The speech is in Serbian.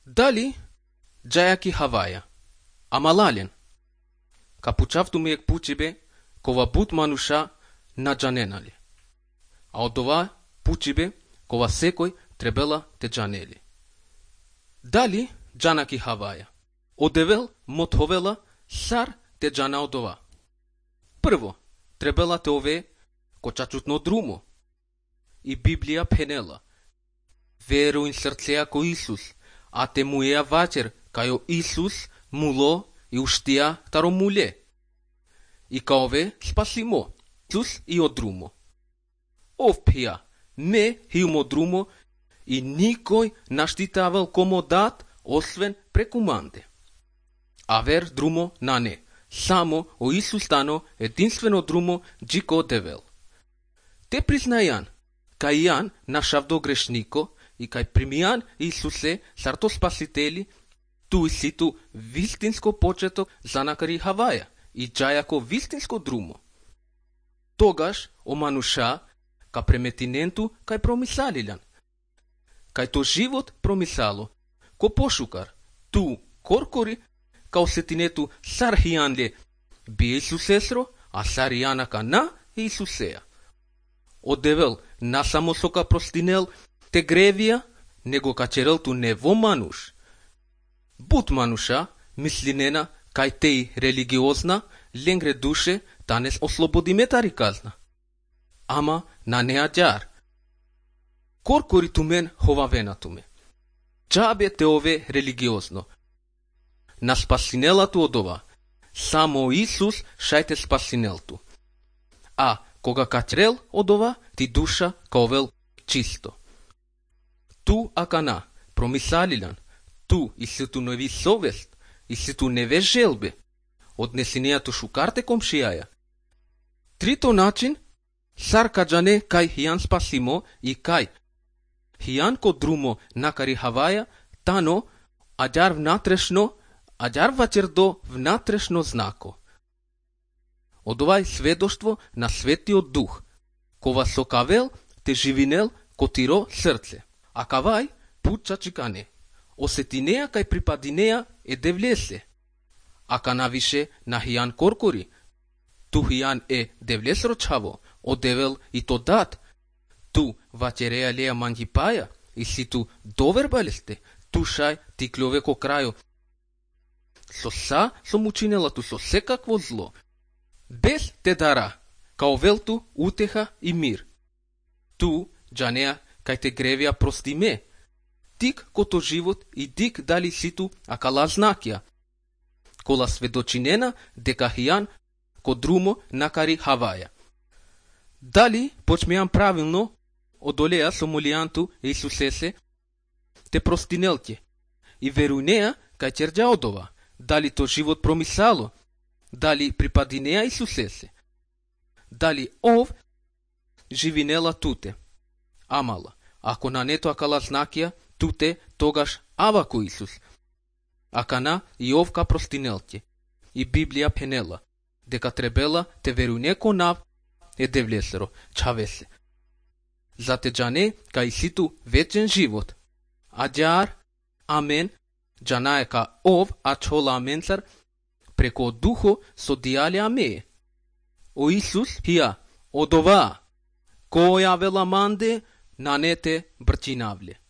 Дали джаяки Хавая, амалален, капучавту миек пучибе, кова бут мануша на джаненали. А од ова пучибе, кова секој требела те джанели. Дали джанаки Хавая, одевел мотовела сар те джана од ова. Прво, требела те ове кочачутно друмо. И Библија пенела. Веру ин срцеа ко Исус, а те муеа вачер, кајо Исус муло и уштија таро муле. И каове спасимо, Исус и одрумо. Ов пија, не хиумо друмо и никој наштитавал комо дат, освен прекуманде. А вер друмо на не, само о Исус тано единствено друмо джико девел. Те признајан, кај јан нашавдо грешнико и кај примијан Исусе сарто спасители, ту и ситу вистинско почеток за накари Хаваја и джајако вистинско друмо. Тогаш о мануша ка преметиненту кај промисалилјан. Кај то живот промисало, ко пошукар, ту коркори, као сетинету сар хијанле би Исусесро, а сар јана кана Исусеја. Одевел насамо сока простинел те гревија, него качерел ту нево мануш. Бут мануша, мислинена, кај теј религиозна, ленгре душе, танес ослободи тари казна. Ама на неа џар. Коркори ту мен ховавена ту ме. Джабе те ове религиозно. На спасинелату од ова, само Исус шајте спасинелту. А кога качрел од ова, ти душа каовел чисто. Ту акана, промисалилјан, ту и ситу неви совест, и ситу неве желбе, однесинејату шукарте комшијаја. Трито начин, сар каджане кај хијан спасимо и кај хијан ко друмо накари Хаваја, тано аџар внатрешно, аџар вачердо внатрешно знако. Од овај сведоштво на Светиот Дух, кова со кавел те живинел котиро срце, а кавај пуча чикане, осетинеа кај припадинеа е девлесе, а канавише на хијан коркори, ту хијан е девлесро чаво, одевел и то дат, ту вачереа леа мангипаја, и си ту довербалесте, ту шај ти клјове ко крајо, со сом учинела ту со секакво зло, без те дара, као велту утеха и мир. Ту, джанеа, кај те гревија прости ме, тик кото живот и дик дали ситу акала знакија, кола сведочинена дека хијан ко друмо накари Хаваја. Дали почмејан правилно одолеа со молијанту Исусесе, те простинелке, и верујнеа кај черџа од ова, дали то живот промисало, дали припадинеа Исусесе, дали ов живинела туте. Амала, ако на нето акала знакија, туте тогаш авако Исус. Акана и овка простинелке. И Библија пенела, дека требела те верујне ко нав е девлесеро, чавесе. За те джане кај ситу вечен живот. Аџар, амен, джанае ка ов ачола аменцар, преко духо со дијале аме. О Исус хија, од ова, која вела манде, на нете брчинавле.